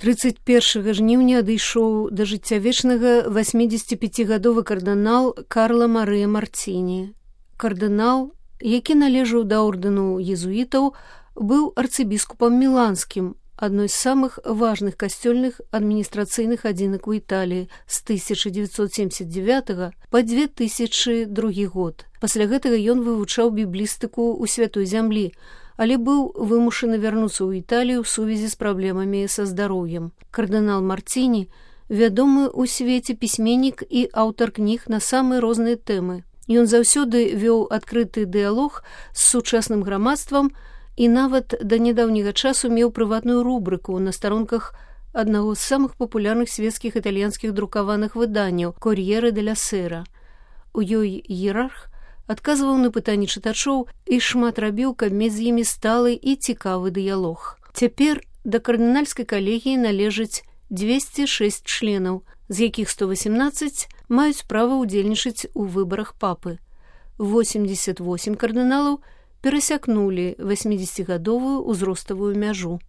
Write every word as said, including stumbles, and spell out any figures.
трыццаць першага жніўня адышоў да жыцця вечнага васьмідзесяціпяцігадовы кардынал Карла Марыя Марціні. Кардынал, які належаў да ордэну езуітаў, быў арцыбіскупам міланскім, адной з самых важных касцёльных адміністрацыйных адзінак у Італіі з тысяча дзевяцьсот семьдесят девятага па две тысячы другі год. Пасля гэтага ён вывучаў біблістыку ў Святой зямлі, але быў вымушаны вярнуцца ў Італію ў сувязі з праблемамі са здароўем. Кардынал Марціні вядомы ў свеце пісьменнік і аўтар кніг на самыя розныя тэмы. Ён заўсёды вёў адкрыты дыялог з сучасным грамадствам і нават да нядаўняга часу меў прыватную рубрыку на старонках аднаго з самых папулярных свецкіх італьянскіх друкаваных выданняў «Кор'єре деля Сера». У ёй іерарх адказваў на пытанні чытачоў і шмат рабіў, каб мець з імі сталы і цікавы дыялог. Цяпер да кардынальскай калегіі належыць дзвесце шэсць членаў, з якіх сто васемнаццаць маюць права ўдзельнічаць у выбарах папы. восемьдесят восемь кардыналаў перасякнулі васьмідзесяцігадовую ўзроставую мяжу.